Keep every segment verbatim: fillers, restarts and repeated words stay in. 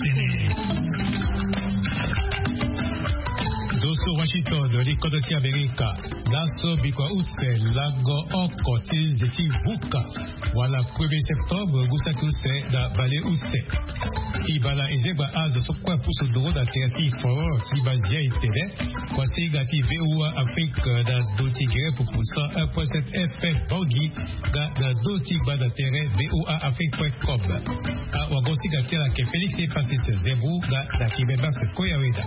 Ndo so Washington, li kodro ti Amerika. Laso bikua use lango oko ti nze ti vuka wala premier septembre ngu saki use na bale use. Ibala ezegba azo so kue apusu nduru na tere ti foro ti bazia itene. Kuasinga ti VOA Afrique na ndo ti gere pupu cent un point sept F M Bangui, nga na ndo ti gba na tere VOA Afrique point com. Awagosinga ti ala ke Félix Francis Zembu nga na Kimemba Koyaweda.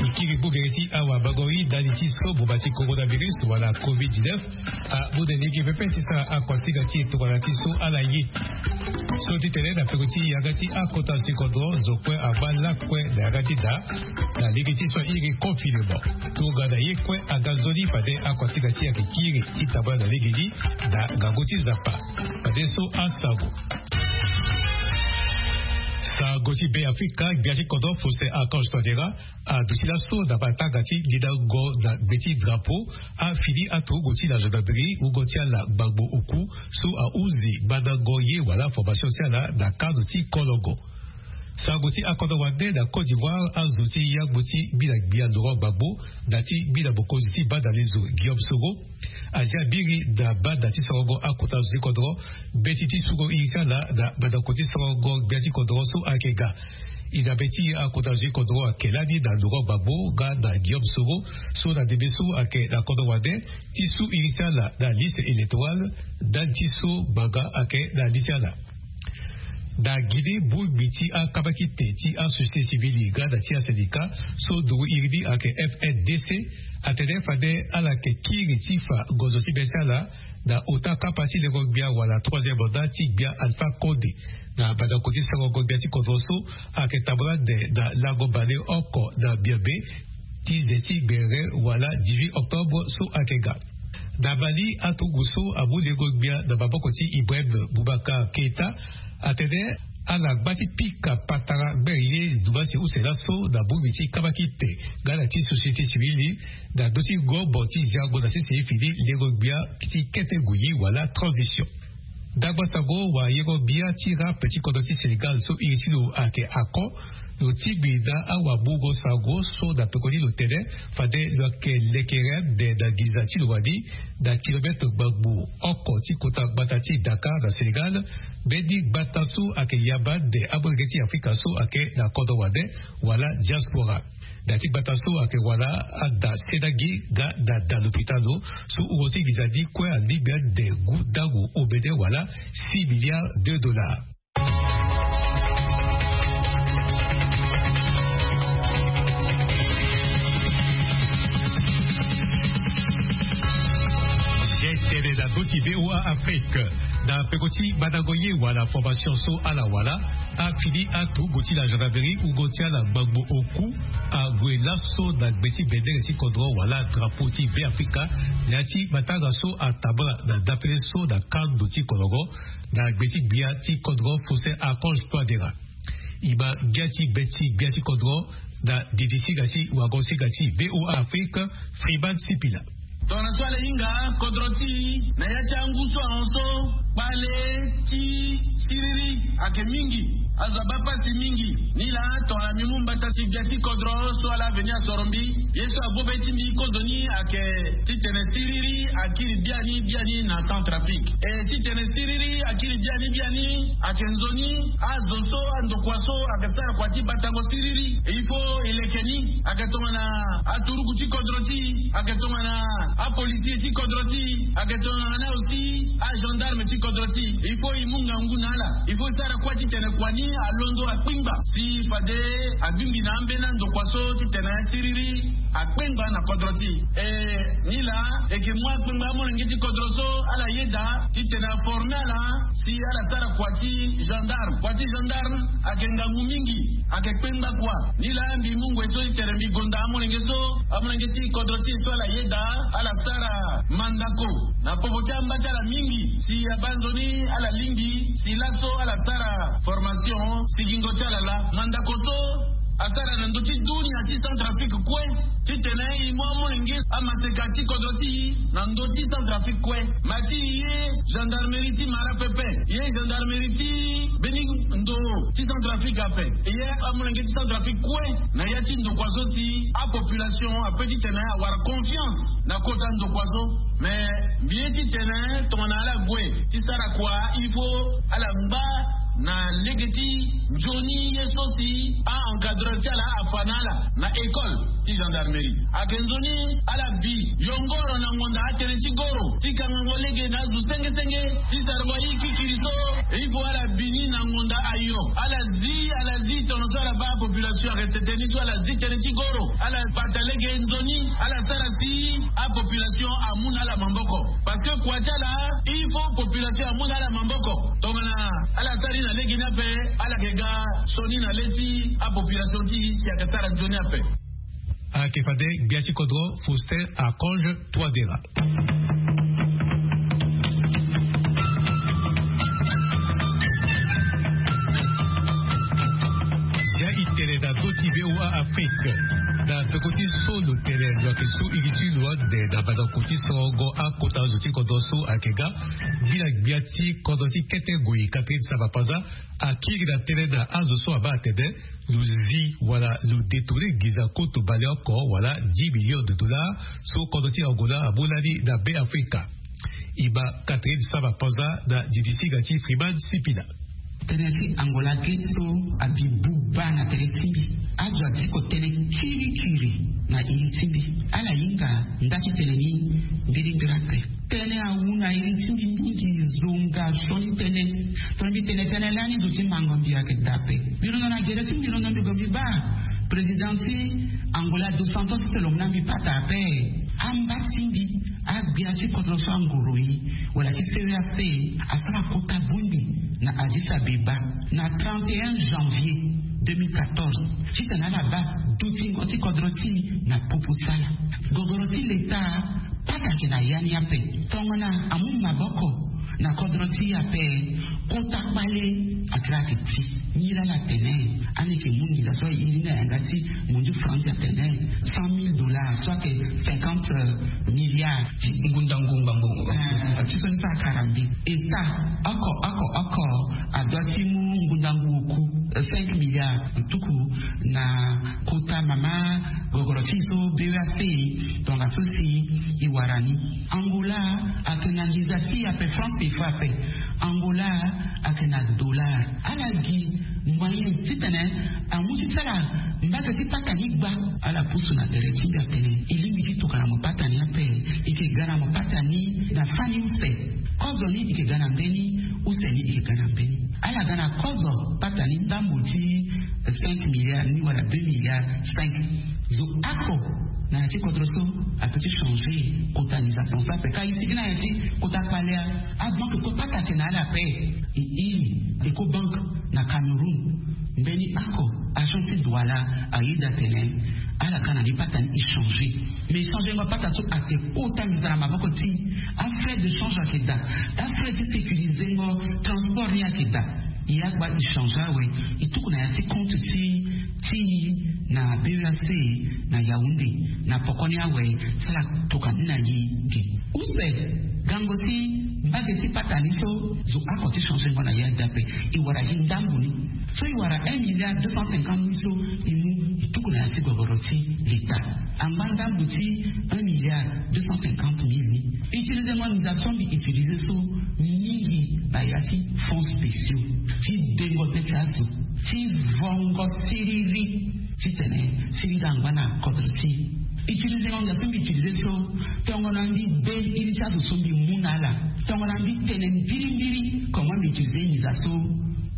E kiri bongere ti awabango yi ndali ti so boma ti coronavirus wala covid dix-neuf amu na lege pepe ti sara akuasinga ti e tongana ti so ala ye. So ti tene na peko ti yanga ti akota ti kodro zo kue ama lakue na yanga ti da na lege ti so airi confinement. Tongana ye kue aga nzoni fade akuasinga ti e ayeke kiri ti tambula na lege ni na ngangu ti Nzapa. Fade so asango. Sango ti Be Afrika, gbia ti kodro Faustin Archange Touadéra aduti laso na matanga ti ndindango na gbe ti drapeau afini aturugu ti la gendarmerie, wungo ti ala gbangbo oku so ahunzi gbandango ye wala formation ti ala na kano ti kolongo. Sango ti akodro wande na Côte d'Ivoire, azo ti yangbo ti mbi na gbia Laurent Gbagbo na ti mbi na mokonzi ti banda lezo Guillaume Soro azia biri na banda ti sorongo akota zo ti kodro mbeti ti sungo iri ti ala na mandako ti sorongo gbia ti kodro so ayeke ga. E na mbeti akota zo ti kodro ayeke lani na Laurent Gbagbo nga na Guillaume Soro so na ndembe so ayeke na kodro wande ti su iri ti ala na liste électorale ndali ti so ngbanga ayeke na li ti ala. Na Guinée, bongbi ti akabakite ti asociété civile nga na ti asyndicat so nduru iri ni ayeke F N D C atene fade ala yeke kiri ti fa ngonzo ti be ti ala na ota kapa ti lengo gbia wala troisième mandat ti gbia Alpha Condé na mandako ti sorongo gbia ti kodro so ayeke tambula ande na lango bale oko na miombe ti nze ti gbere wala dix-huit octobre so ayeke ga. Na Mali, aturugu so amu lengo gbia na maboko ti Ibrahim Boubacar Keita atene ala ngba ti pika patara gbere ye ndumasi use laso na bongbi ti kabakite nga na ti société civile na ndö ti ngombo ti ziango na sese fini lengo gbia ti kete ngui wala transition. Ndangba sango, wayengo-gbia ti rap ti kodro ti Sénégal so iri ti lo ayeke Akon, lo tingbi na awamungo sango so na pekoni lo tene fade lo yeke lekere ande na nginza ti lo wani na kilometre gbangbo oko ti kota gbata ti Dakar na Sénégal. Mbeni gbata so ayeke yamba ande amolenge ti Afrika so ayeke na kodro wande wala diaspora. Na ya ti gbata so ayeke wala ada senagi nga na da lopitalo so wungo ti nginza ni kue alingbi ande ngu ndango omene wala six milliards de dollars. Tene na ndö ti VOA Afrique, na peko ti gbandango ye wala formation so ala wala, afini aturugu ti la gendarmerie wungo ti ala gbangbo oku ague laso na gbe ti bendere ti kodro wala drapeau ti Be Afrika. Na ya ti matanga so atambula na dapele so na kando ti kolongo na gbe ti gbia ti kodro Faustin Archange Touadéra. E ma ngia ti be ti gbia ti kodro na didisinga ti wagonsinga ti VOA Afrique, Freeman Sipila. Tongana so ala hinga kodro ti e na ya ti angu so ahon so, kpale ti siriri ayeke mingi. Azo abaa pasi mingi. Nilaa tongana mbi mu mbata ti gbia ti kodro so ala veni asoro mbi, ye so agbo be ti mbi kozoni ayeke titene siriri akiri biani biani na Centrafrique. E titene siriri akiri biani biani ayeke nzoni. Azo so, andokua so ayeke sara kua ti batango siriri, il faut e leke ni. Ayeke tongana aturuku ti kodro ti e, ayeke tongana apolisier ti kodro ti e, ayeke tongana aussi agendarme ti kodro ti e. Il faut e mu ngangu na ala. Il faut e sara kua titene kua ni alondo akpengba si fade abingbi na ambeni andokua so titene siriri akpengba na kodro ti e. E nilaa e yeke mu akpengba amolenge ti kodro so ala yeda titene aforme ala si ala sara kua ti gendarme. Kua ti gendarme ayeke ngangu mingi, ayeke kpengba kua. Nilaa mbi mu ngoi so ti tene mbi gonda amolenge so, amolenge ti kodro ti e so ala yeda ala sara mandako na popo ti amba ti ala mingi si abaa nzoni ala lingbi si laso ala sara formation sigingo ti ala laa. Mandako so asara na ndö ti dunia ti Centrafrique kue. Titene e mu amolenge amaseka ti kodro ti e na ndö ti Centrafrique kue. Ma ti e, gendarmerie ti Mara pepe, e gendarmerie ti mbeni ndo ti Centrafrique ape, e amolenge ti Centrafrique kue, na ya ti ndokua so si apopulation ape titene awara confiance na kota ndokua so. Mais mbi ye titene tongana ala gue ti sara kua, il faut ala ngba na lege ti nzoni ye so si a-encadreur ti ala afa na ala na école ti gendarmerie. Ayeke nzoni ala bi yongoro na ngonda atene ti goro ti kangango lege na azo senge senge ti sarango aye kikiri so. Il faut ala bi ni na ngonda ayo. Ala zi, ala zi tono so ala baa population arrêté tënë ni so, ala zi tënë ti goro, ala bata lege nzoni, ala sara si apopulation amu na ala maboko. Parce que kua ti ala, il faut population amu na ala maboko. Tongana ala sara ni na lege ni ape, ala yeke ga sioni na le ti apopulation ti e si ayeke sara nzoni ape. Ayeke fade gbia ti kodro Faustin Archange Touadéra. Zia e tene na ndö ti V O A Afrique. Na peko ti so lo tene lo yeke su iri ti lo ande na mandango ti sorongo akota zo ti kodro so ayeke ga. Ngbila gbia ti kodro ti kete ngoi Catherine Samba-Panza akiri na tënë na azo so abaa atene lo zi wala lo détourné nginza koto baleoko wala dix millions de dollars so kodro ti Angola amu lani na Be Afrika. E ma Catherine Samba-Panza na didisiga ti Freeman Sipila. Tënë ti Angola ge so abi buba na tere ti mbi. Azo adi kotene kirikiri na iri ti mbi. Ala hinga nda ti tene ni mbirimbiri ape. Tënë awu na iri ti mbi mingi, zonga sioni tënë. Tongana mbi tene tënë lani zo ti mango mbi ayeke daa ape. Mbi londo na gere ti mbi, londo mbi gue mbi baa président ti Angola dos Santos ti tene lo mu na mbi pata ape. Amba ti mbi, agbia ti kodro so angoro e wala ti C E A C asara kota bongbi na Addis Abeba na trente et un janvier deux mille quatorze. Titene ala baa dutingo ti kodro ti e na popo ti ala. Gogoro ti leta pata ayeke na ya ni ape. Tongana amu maboko na kodro ti e ape, kota kpale akiri ayeke ti. Nilaa ala tene, ani yeke mu nginza so e iri ni na yanga ti mundu France atene cent mille dollars so ayeke cinquante milliards. Ngundangu ngbangbo. Ah, ti so ni so akara mbi. État oko oko oko adoit ti mu ngundangu oku, eh, cinq milliards tuku na kota mama gogoro ti e so B E A C, tongaso si e wara ni. Angola ayeke na nginza ti e ape, franc CFA ape. Angola ayeke na dollar. Ala gi moyen titene amu ti sara mbage ti pata ni gba. Ala pusu na tere ti mbi atene e lingbi ti tokua na mo pata ni ape. E yeke ga na mo pata ni na fani use. Kozo ni e yeke ga na mbeni, use ni e yeke ga na mbeni. Ala ga na kozo pata ni ndambo ti cinq milliards ni wala deux milliards cinq. Zo oko na ya ti kodro so ape ti changer kota nginza tongaso ape. Ka e sigi na ya ti kota kpale, abanke kue pata ayeke na ala ape. E iri Ecobank na Cameroun. Mbeni oko agent ti Douala ayeda atene ala ga na ni pata ni e changer. Mais changengo pata so ayeke kota nginza na maboko ti e. Afrais de change ayeke daa. Afrais ti sécurisengo transport ni ayeke daa. E agba e changer awe, e tuku na ya ti compte ti, ti e na B E A C na Yaoundé. Na poko ni awe, sala tokua ni na e ge. Use gango ti mbage ti pata ni so, zo oko ti changengo na ya dape. E wara gi ndambo ni. So e wara un milliard deux cent cinquante mille so e mu e tuku na ya ti gogoro ti leta. Angba ndambo ti un milliard deux cent cinquante mille ni, utilisengo nginza so mbi utiliser so mingi na ya ti fonds spéciaux ti dengo be ti azo, ti vongo siriri, titene siriri angba na kodro ti e. Utilisengo nginza so mbi utiliser so, tongana mbi de iri ti azo so mbi mu na ala, tongana mbi tene mbirimbiri comment mbi utiliser nginza so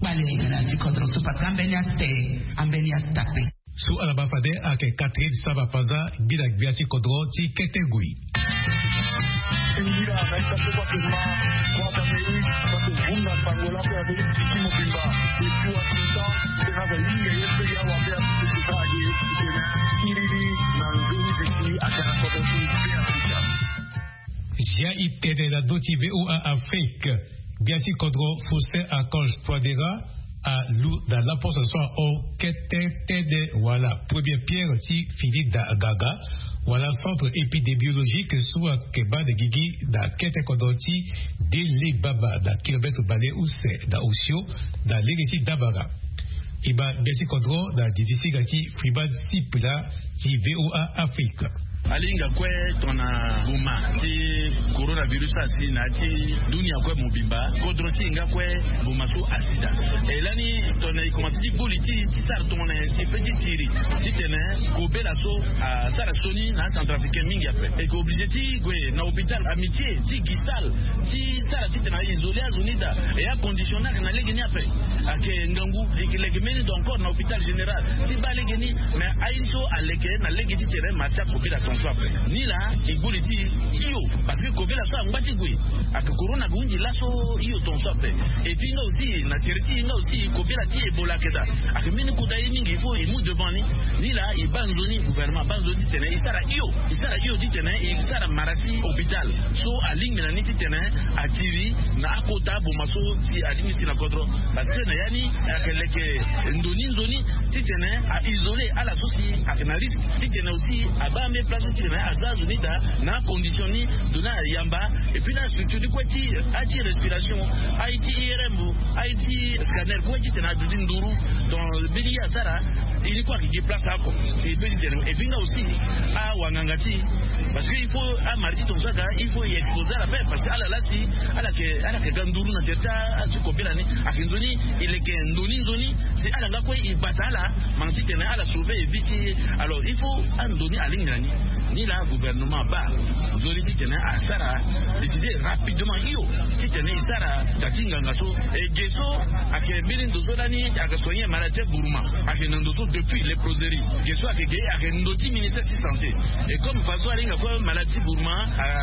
kpale ayeke na ya ti kodro so, parce que ambeni ate, ambeni atape. So ala baa fade ayeke Catherine Samba Panza, ngbila gbia ti kodro ti kete ngoi. Zia e tene na ndö ti V O A Afrique. Gbia ti kodro Faustin Archange Touadéra alu na laposo so ahon kete tënë wa Wala première pierre ti fini da gaga, wala centre épidémiologique so ayeke baa na gigi na kete kodro ti dele baba na kilomètre bale use na osio, na lege ti dabara. E ma gbia ti kodro na didi singa ti Freeman Sipila ti VOA Afrique. Alinga kue tongana boma ti coronavirus asi na ya ti dunia kue mobimba, kodro ti e nga kue boma so asi daa. E lani tongana e komanse ti gboli ti ti sara tongana e si pe ti tiri titene kobela so asara sioni na acentrafricain mingi ape. E ke oblige ti gue na hôpital Amitié ti gi salle ti sara titene a isoler azo ni daa. E acondition ni ayeke na lege ni ape. Ayeke ngangu e ke leke mbeni ndo encore na hôpital général ti baa lege ni. Mais aye so aleke na lege titene ma ti akobela tongaso ape. Ni laa e gboli ti hio, parce que kobela so angba ti gue. Ayeke corona ayeke hunzi laso hio tongaso ape. Et puis nga aussi na tere ti e nga aussi kobela ti Ebola ayeke daa. Ayeke mbeni kota ye mingi, il faut e mu devant ni. Ni laa e baa nzoni, gouvernement abaa nzoni titene e sara hio. E sara hio titene e sara mara ti hôpital so alingbi na ni titene atiri na akota boma so si alingbi si na kodro. Parce que na ya ni ayeke leke ndo ni nzoni titene a isoler ala so si ayeke na risque, titene aussi abaa mbeni place so titene aza azo ni daa na acondition ni. Ndo ni ayamba. Et puis na astructure ni kue ti aye ti respiration, aye ti IRM, aye ti scanner kue titene aduti nduru. Donc mbeni ye asara, e ni kue ayeke gi place oko. E pe titene, et puis nga aussi awanganga ti e, parce que il faut amara ti tongaso aga, il faut e exposer ala pe, parce que ala laa si ala yeke, ala yeke ga nduru na tere ti azo ti kobela ni. Ayeke nzoni e leke ndo ni nzoni si ala nga kue e bata ala, manga titene ala sauver e vie ti e. Alors il faut ando ni alingbi na ni. Ni laa gouvernement abaa nzoni titene asara décider rapidement hio titene e sara taa ti nganga so. E ge so ayeke mbeni ndo so lani ayeke soigner malade ti buruma, ayeke na ndo so depuis léproserie. Ge so ayeke ge ayeke ndo ti ministère ti santé. Et comme façon alinga kue malade ti buruma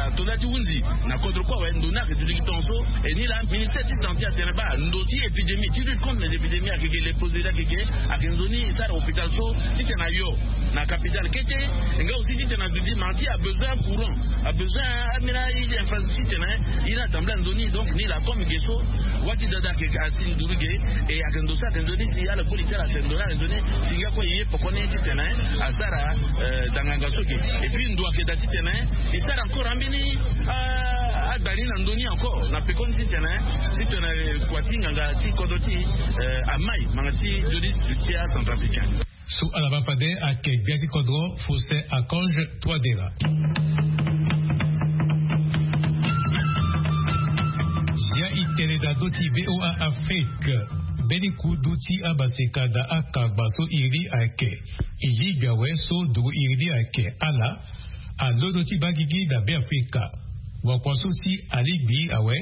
ato nda ti hunzi na kodro kue awe, ndo ni ayeke duti gi tongaso. Et ni laa ministère ti santé atene baa ndo ti épidémie, ti lutte contre les épidémies, ayeke ge léproserie ayeke ge. Ayeke nzoni e sara hôpital so titene ayo na capitale kete. E nga aussi titene aduti mara ti abesoin courant, abesoin ambeni infrastructure titene e na tambula nzoni. Donc ni laa comme ge so wâ ti dada ayeke asi nduru ge. E ayeke ndo so ayeke nzoni si ala gboli ti ala atene ndo ni ayeke nzoni si nga kue e ye pekoni titene asara, eh, danganga so ge. Et puis ndo ayeke daa titene e sara encore ambeni, ah, agba ni na ndo ni encore na pekoni titene, titene kua ti nganga ti kodro ti e, eh, amai manga ti nzoni ti acentrafricain. So ala baa fade ayeke gbia ti kodro Faustin Archange Touadéra. Zia e tene na ndö ti VOA Afrique. Mbeni kudu ti amaseka na akangba so iri ayeke e lingbi awe so nduru iri ni ayeke ala alondo ti baa gigi na Beafrika. Wakua so si alingbi awe,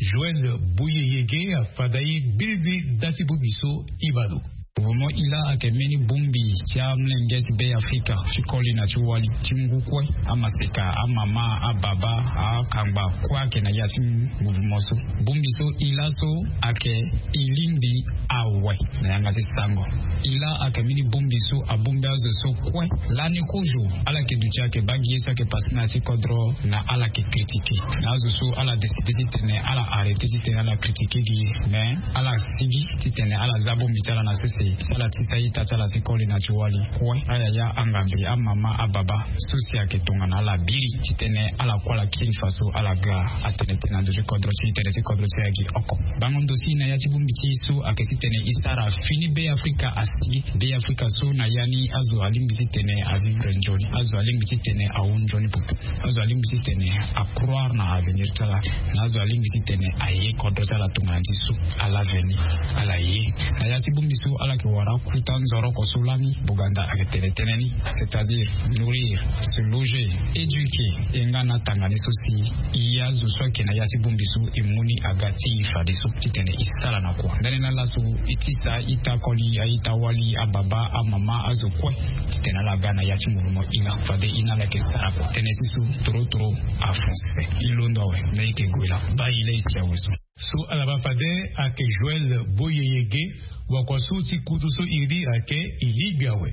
Joël Boyeyege afanda e mbirimbi nda ti bongbi so e ma lo. Mouvement ila ayeke mbeni bongbi ti amolenge ti Beafrika ti koli na ti wali ti ngu kue, amaseka, amama, ababa, akangba kue ayeke na ya ti mouvement so. Bongbi so ila so ayeke e lingbi awe na yanga ti sango. Ila ayeke mbeni bongbi so abongbi azo so kue. Lani kozo ala yeke duti ayeke baa gi ye so ayeke passe na ya ti kodro na ala yeke critiquer na azo so ala décider titene ala arrêter titene ala critiquer gi ye. Mais ala sigi titene ala za bongbi ti ala na sese si ala tisa ita ti ala ti koli na ti wali kue. Ayaya, angambi, amama, ababa so si ayeke tongana ala biri titene ala kue ala kiri faso ala ga atene tene na ndo ti kodro ti tene ti kodro ti e agi oko. Bango ndo si na ya ti bongbi ti e so ayeke titene e sara fini Beafrika asigi. Beafrika so na ya ni azo alingbi titene avivre nzoni, azo alingbi titene ahon nzoni popo, azo alingbi titene acroire na avenir ti ala, na azo alingbi titene aye kodro ti ala tongana ti so ala veni ala ye. Na ya ti bongbi so ala yeke wara akuta nzoroko so lani Boganda ayeke tene tënë ni, c'est-à-dire nourrir, se loger, éduquer, e nga na tanga ni so si e azo so ayeke na ya ti bongbi so e mu ni aga ti e fadeso titene e sara na kua. Ndani na laso e tisa ita koli, a-ita wali, ababa, amama, azo kue titene ala ga na ya ti mouvement ila. Fade e na ala yeke sara kua. Tënë ti so toro toro afonse. E londo awe, me e yeke gue laa. Baa e laa e si awe so. So ala baa fade ayeke Joël Boyeyege, wakua so ti kutu so iri ayeke e lingbi awe.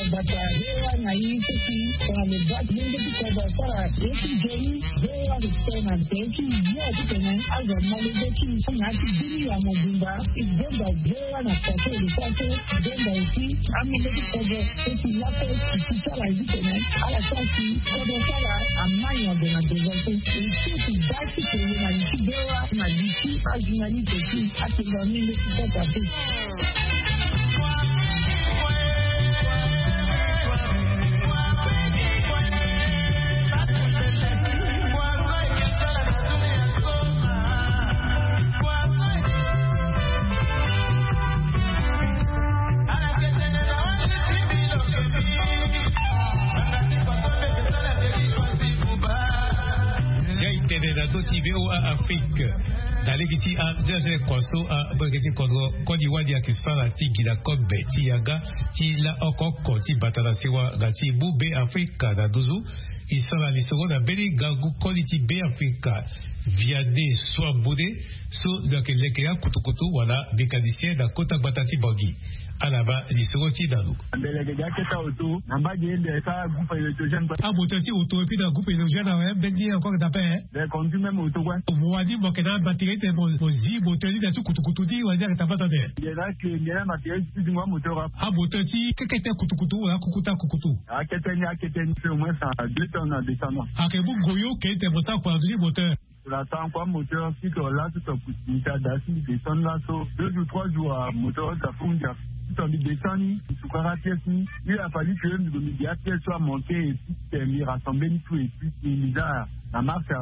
Bata rewa na i kuki tongana le bak lenge ti kobo asara e ti joli. Rewa ti tongana te ti yo ti tene azo malege ti na ti bini ya mobimba. I gbonda rewa na kote le kote. Gbonda eti amenge ti kobo eti lape ti sara e ti tene ala sara ti kobo sara amai na dona devante. Eti ti bak ti tene na li ti rewa na li ti ajournaliste ti atenga menge ti kota te. Sia i tene na ndö ti V O A Afrique. Na lege ti azenzele kua so amolenge ti kodro koli wali ayeke sara ti gi na kobe ti yanga ti la oko oko ti bata na sewa nga ti mu Be Afrika na nduzu. I sara lisoro na mbeni ngangu koli ti Be Afrika, Vianney Souamboundé, so lo yeke leke akutukutu wala mécanicien na kota gbata ti Bangui. Ala baa lisoro ti na lo. Mbele yeke ga kete oto na mbage ende sara groupe électrogène kue. Amoteur ti oto epui na groupe électrogène awe mbeni encore na pe. Be conduit même oto kue. Mo wani mo yeke na matériel ti tene mo zi moteur ni na ti kutukutu ni wala ni ayeke tambata be. Nge na ke nge na matériel ti zingo amoteur ape. Amoteur ti kekete kutukutu wala kukuta kukutu. Akete ni akete ni fait au moins deux tonnes na descendant. Ayeke mu goyo ke ti tene mo sara kua na ndö ti moteur. Tongana tangu kua moteur si tongana laso tongana kuti ni ti ada si mbi descend laso deux jours trois jours amoteur ota fou ndia. Si tongana mbi descend ni mbi sukara pièce ni. Il a fallu que mbi gue mbi gi apièce so amanke et puis tene mbi rassemble ni tout et puis mbi za na marche.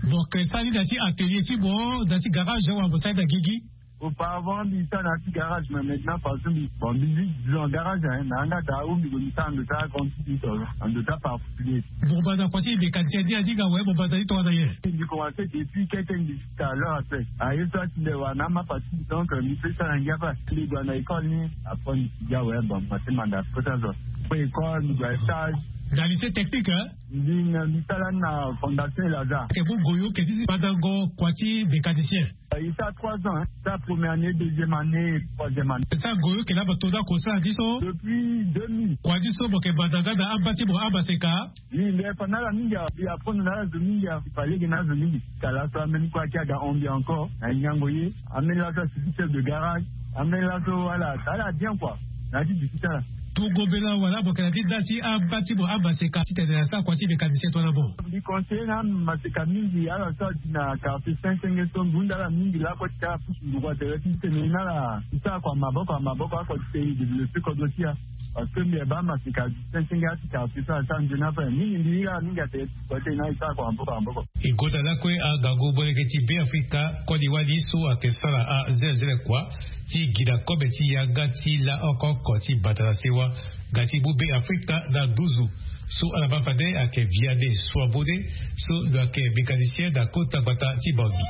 Donc sara ni na ti atelier ti mo na ti garage wala mo sara ni na gigi? Auparavant mbi sara na ti garage mais maintenant façon mbi bon mbi zi en garage hein na yanga daa ou mbi gue mbi sara ando ti agrande ti mbi to ando ti aparticulier. Mo banda kua ti mécanicien ni aninga awe mo banda ni tongana nyen? Mbi commencé depuis kete mbi jusqu'à l'heure actuelle aye so atinde wara na ama partie donc mbi peut sara na ngia ape. Mbi gue na école ni après mbi si gi awe bon mbi commencé manda kota zo. Après école mbi gue na stage. Na lycée technique hein? Mbi na mbi sara ni na fondation elaza. Ke mu goyo ke ti si bandango kua ti mécanicien? I sara trois ans hein. Sara première année deuxième année troisième année. Sara goyo ke laba to da ko sara ni so? Depuis deux mille. Kua ni so mo ke banda nga na amba ti mo amaseka? Mbi mbi fa na ala mingi awe mbi apprendre na ala zo mingi awe mbi fa lege na ala zo mingi. Tala so ambeni kue ake aga hon mbi encore na nyango ye. Ambeni laso asi ti chef de garage. Ambeni laso ala ala bien kua. Na ya ti duti ti ala. Tungo mbela wala mo yeke na ti da ti amba ti mo amaseka titene asara kua ti mécanicien tongana mo? Mbi conseiller na amaseka mingi ala so adi na quartier saint senge so mbi hunda ala mingi lakue ti tara pusu nduru atere ti tene na ala ti sara kua maboko na maboko akua ti tene développer kodro ti ala. Parce que mbi yeke baa amaseka saint senge ati quartier so ala sara nzoni ape mingi mbi hiri ala mingi atere ti kua ti tene na ala ti sara kua maboko na maboko. E gonda lakue angangu molenge ti Be Afrika koli wali so ayeke sara azelezele kua ti gi na kobe ti yanga ti la oko oko ti bata na sewa nga ti mu Be Afrika na nduzu. So ala baa fade ayeke Vianney Souamboundé so lo yeke mécanicien na kota gbata ti Bangui.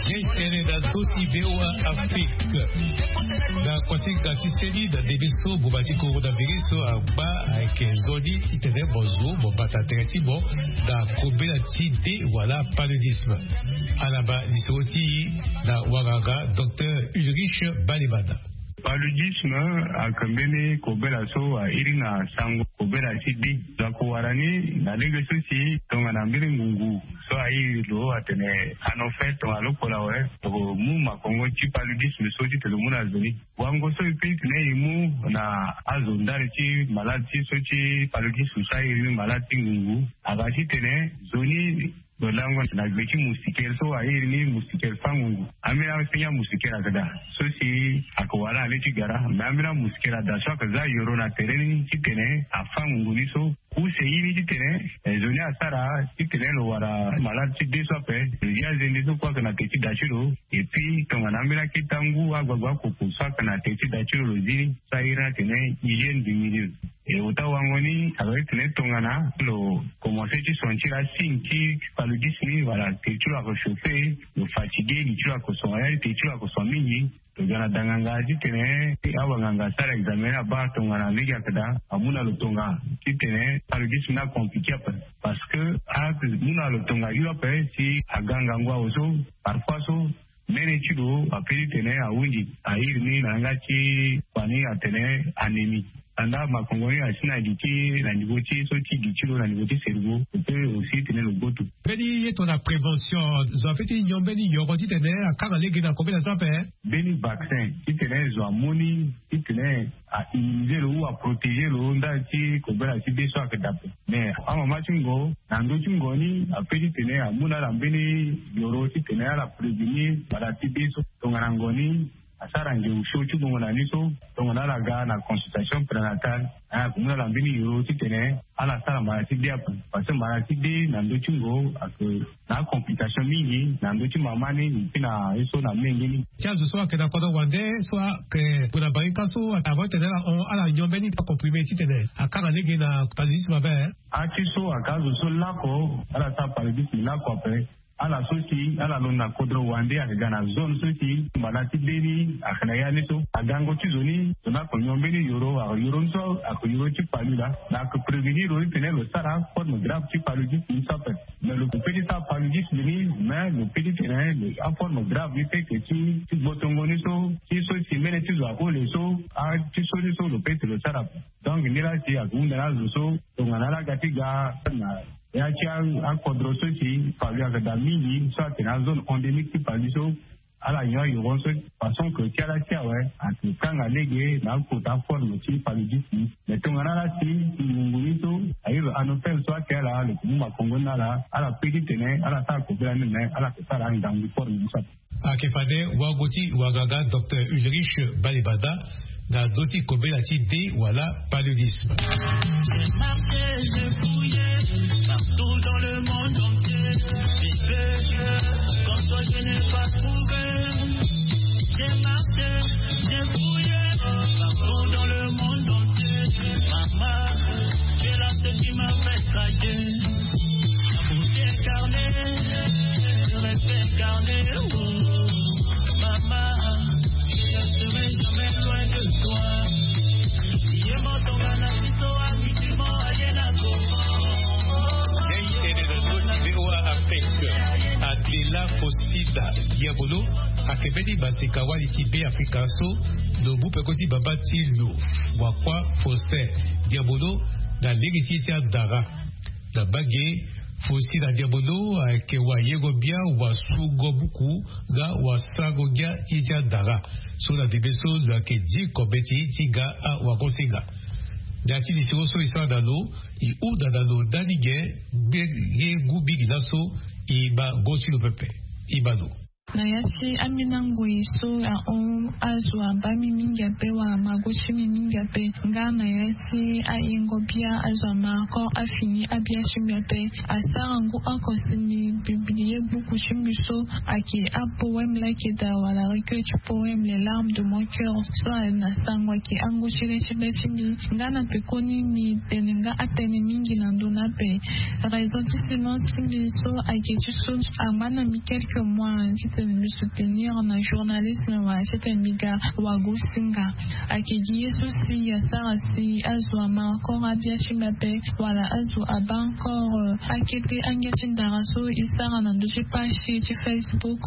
Ye tene na ndö ti V O A Afrique. Na kuasinga ti seni na ndembe so boma ti coronavirus so agba ayeke nzoni titene mo zo mo bata tere ti mo na kobela ti de wala paludisme. Ala baa lisoro ti e na wanganga docteur Ulrich Balemana. Paludisme ayeke mbeni kobela so airi na sango kobela ti de. Lo yeke wara ni na lege so si tongana mbeni ngungu so airi lo atene anofel tongana lo kpolo awe lo yeke mu makongo ti paludisme so ti tene lo mu na zo ni. Wango so e pe ti tene e mu na azo ndali ti malade ti so ti paludisme so airi ni malade ti ngungu aga titene zo ni lo lango na gbe ti moustiquaire so airi ni moustiquaire fangungu. Ambeni asengi amoustiquaire ayeke daa so si ayeke wara na le ti gara me ambeni amoustiquaire ada so ayeke za yoro na tere ni titene afangungu ni so. Use ye ni titene zo ni asara titene lo wara malade ti de so ape. Lo zi azende so kue ayeke na ke ti da ti lo. Epui tongana ambeni aketa ngu agbagba akoko so ayeke na ke ti da ti lo lo zi ni so airi ni atene hygiène du milieu. E ota wango ni aloye tene tongana lo komanse ti son ti la signe ti paludisme ni wala te ti lo ako chauffer, lo fatigué li ti lo ako son wala te ti lo ako son mingi. Lo ga na danganga titene awanganga asara examen ni abaa tongana lege ayeke daa amu na lo tonga titene paludisme ni akomplike ape. Parce que amu na lo tonga hio ape si aga ngangu awe so parfois so mene ti lo ape titene ahunzi ahiri ni na yanga ti kua ni atene anémie. Anda makongo ni asi na gi ti na niveau ti so ti gi ti lo na niveau ti cerveau lo pe aussi tene lo gboto. Mbeni ye tongana prévention zo ape ti nyon mbeni yoro titene akanga lege na kobela so ape. Mbeni vaccin titene zo amu ni titene a immuniser lo ou a protéger lo nda ti kobela ti be so ayeke dape. Mais amama ti ngo na ndö ti ngo ni ape titene amu na ala mbeni yoro titene ala prévenir wala ti be so tongana ngo ni asara nge usio ti bongo na ni so tongana ala ga na consultation prénatale. Aya akomu na ala mbeni yoro titene ala sara mara ti de ape. Parce que mara ti de na ndö ti ngo ayeke na acomplication mingi na ndö ti mama ni mpi na ye so na menge ni. Ti azo so ayeke na kodro wande so ayeke gue na barika so avo tene ala hon ala nyon mbeni acomprimé titene akanga lege na paludisme ape. Ati so ayeke azo so lako ala sara paludisme lako ape. Ala so si ala londo na kodro wande ayeke ga na zone so si mbala ti be ni ayeke na ya ni so agango ti zo ni zo ni ako nyon mbeni yoro ako yoro ni so ako yoro ti palu laa. Na ako prévenir lo ni tene lo sara forme grave ti paludisme ni so ape. Mais lo pe ti sara paludisme ni mais lo pe ti tene aforme grave ni pe ke ti ti gbotongo ni so ti so si mene ti zo ako le so ati so ni so lo pe ti lo sara ape. Donc ni laa si ako hunda na azo so tongana ala ga ti ga na ya ti akodro so si palu ayeke daa mingi so atene azone endémique ti palu so ala nyon ayoro so façon ke ti ala ti awe ayeke kanga lege na akota forme ti paludisme. Mais tongana ala si ngungu ni so aye lo anopel so ake ala lo ke mu makongo ni na ala ala pe ti tene ala sara kobela ni me ala ke sara angangu forme ni so ape. Ayeke fade wago ti wagaga docteur Ulrich Balibada na ndö ti kobela ti de wala paludisme. J'ai marché, j'ai fouillé partout dans le monde entier. J'ai fait comme toi, je n'ai pas trouvé. J'ai marché, j'ai fouillé partout dans le monde entier. Maman, tu es la seule qui m'a fait craquer. La beauté incarnée, le respect incarné, oh, maman, je ne serai jamais loin de toi. Ye moto bana biso amikimo ayena koko. Tene na ndö ti V O A Afrique, Adela Fosida Diabolo, akembeni maseka wali ti Be Afrika so, lo mu peko ti baba ti lo, Wakwa Faustin Diabolo, na lege ti ye ti andara. Na mbage, Fosida Diabolo ayeke wayengo-bia, wasungo buku, nga wasango-ngia ti ye ti andara. So na ndembe so lo yeke diko mbeti ti ga awagosinga. Na ya ti lisoro so e sara na lo, e hunda na lo ndani ge, nge ngu mingi laso, e ma go ti lo pepe. E ma lo. Na ya ti ambeni angoi so ahon azo abaa mi mingi ape wala mago ti mi mingi ape, nga na ya ti ayengo-bia azo ama encore afini abia ti mbi ape. Asara ngu oko si mbi publie buku ti mbi so ayeke apoème laa ayeke daa wala recueil ti poème Les larmes de mon cœur so na sango ayeke angu ti le ti be ti mbi. Nga na pekoni mbi tene nga atënë mingi na ndö ni ape. Raison ti silence ti mbi so ayeke ti so angba na mbi quelques mois titene mbi soutenir na journalisme wala titene mbi ga wagosinga. Ayeke gi ye so si asara si azo ama encore abia ti mbi ape wala azo abaa encore akete angia ti ndara so e sara na ndö ti page ti Facebook.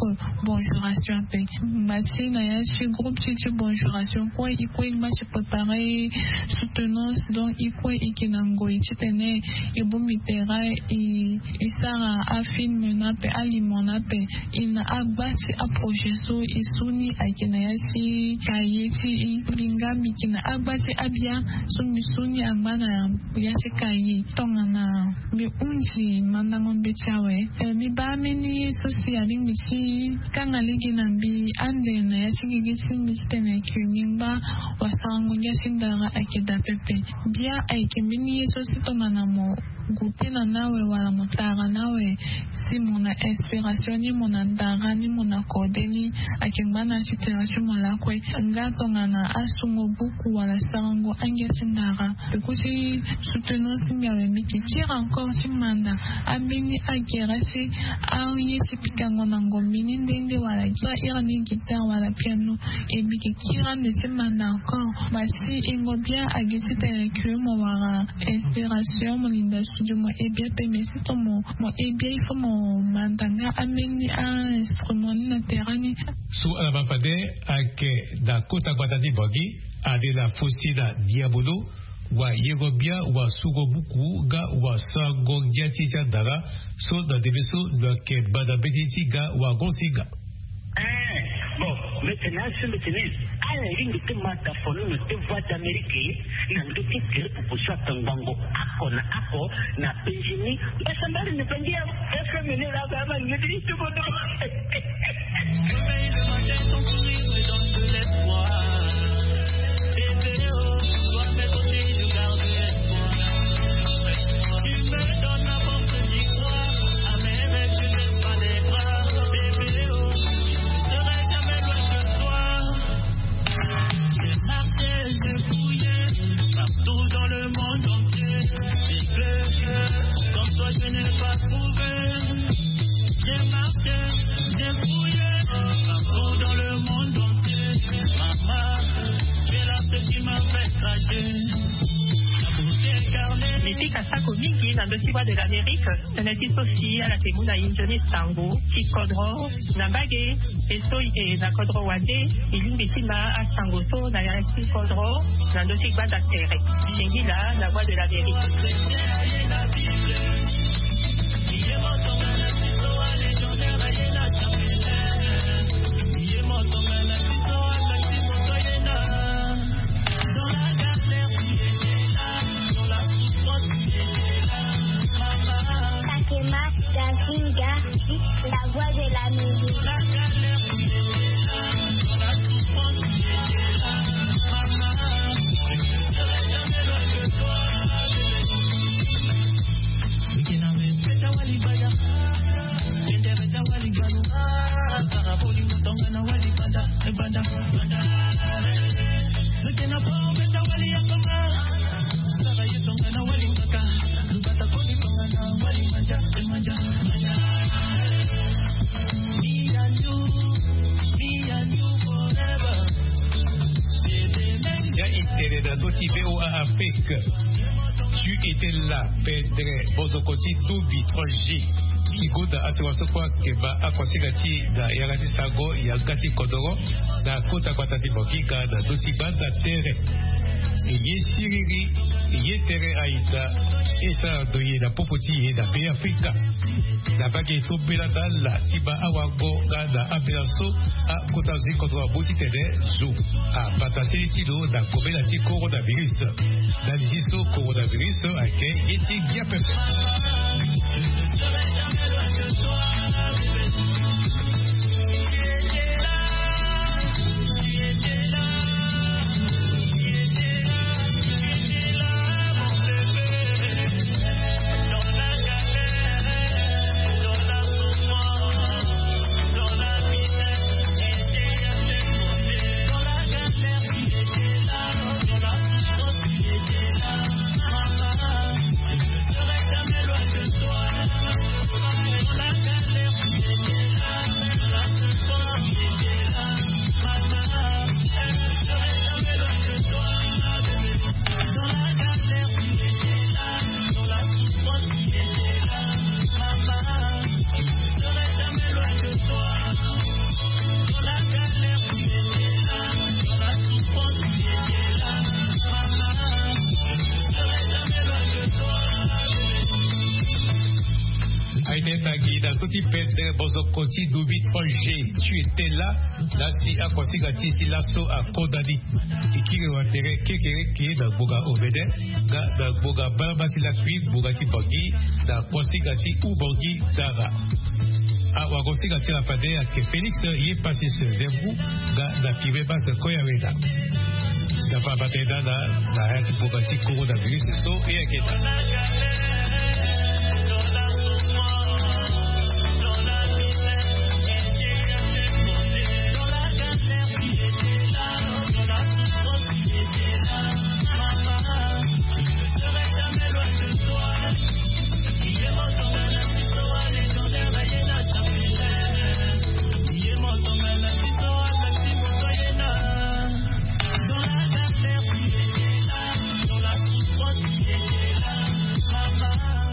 Bonjour action ape. Ngba ti na ya ti groupe ti ti bonjour action kue e kue e ngba ti préparer soutenance, donc e kue e yeke na ngoi titene e bongbi terrain, e e sara afilm ni ape, alimo ni ape. E na agba ti aprojet so e su ni ayeke na ya ti kaye ti e. Mbi nga mbi yeke na agba ti abia so mbi su ni angba na ya ti kaye tongana mbi hunzi mandango mbeti awe. Eh, mbi baa mbeni ye so si alingbi ti kanga lege na mbi ande na ya ti gigi ti mbi titene ayeke mbi ngba wasarango ngia ti ndara ayeke daa pepe. Bia ayeke mbeni ye so si tongana mo Gute na nawe wala mo tara nawe. Si mo na inspiration ni mo na ndara ni mo na kode ni, ake ngba na situation mo lakue. Nga tongana asungo buku wala sarango angia ti ndara, e kuti soutenance nga we mbi ke kiri encore ti manda ambeni agere si aye ti pikango na ngombi ni nde nde wala gi iri ni guitare wala piano. E mbi ke kiri ande ti manda encore ma si ingo bia agi ti tene ke mo wara inspiration mo linda studio mo e bia pe me si to mo mo e bia il faut mo manda nga ambeni a instrument ni na terrain ni. So ala baa fade ake na kota gbata ti bangi. Ade na fosi na diabolo wa yengo bia wa sungo buku nga wa sango ngia ti ti andara. So na ndembe so lo yeke bada mbeti ti nga wa gonsi nga. Bon, maintenant si mbeti ni ala ringi ti mata fono na te voix d'amérique na ndö ti gere pupu so atangbango ako na ako na penzi ni. Mbasa mbari ni penzi ya fm ni la ba ma ni ti ti bodo. J'ai marché, j'ai fouillé partout dans le monde entier. J'ai pleuré, comme toi je n'ai pas trouvé. J'ai marché, j'ai fouillé partout dans le monde entier. Maman, tu es là, ce qui m'a fait craquer. Mipika sako mingi na ndö ti Voix de l'Amérique. Tënë ti so si ala yeke mu na e nzoni sango ti kodro na mbage. E so e yeke na kodro wande e lingbi ti ma asango so na yanga ti kodro na ndö ti gbanda tere. Singila na Voix de l'Amérique. Sakema Gazinga, la voix de l'Amérique. Ya e tene na ndö ti VOA Afrique. Tu étais là, Pedre Bozoko ti Dubi trois G. Ti gonda asewa so kue ayeke baa akuasinga ti e na yanga ti sango yanga ti kodoro na kota gbata ti Bongi nga na ndö ti gbanda tere. E ye siriri, e ye tere aita. E sara ndo ye na popo ti e na Beafrika. Na mbage so mbela na ala ti baa awango nga na ambela so akota zo ti kodro amu titene zo abata seni ti lo na kobela ti coronavirus. Ndali ti so coronavirus ayeke ye ti ngia pepe. Aye tene tangi na ndö ti Pedre Bozoko ti Dubi trois G, tu étais là. Laa si akuasinga ti e ti laso akonda ni. E kiri wa tere kekereke na ngbonga omene nga na ngbonga mbalamba ti lakui ngbonga ti Bangi na kuasinga ti Ubangi Dara. Awagosinga ti ala fade ayeke Félix ye Pacis Zembu nga na Firmin Bas Koyawena. Nzapa abata e na ala na ya ti ngbonga ti coronavirus so e yeke daa.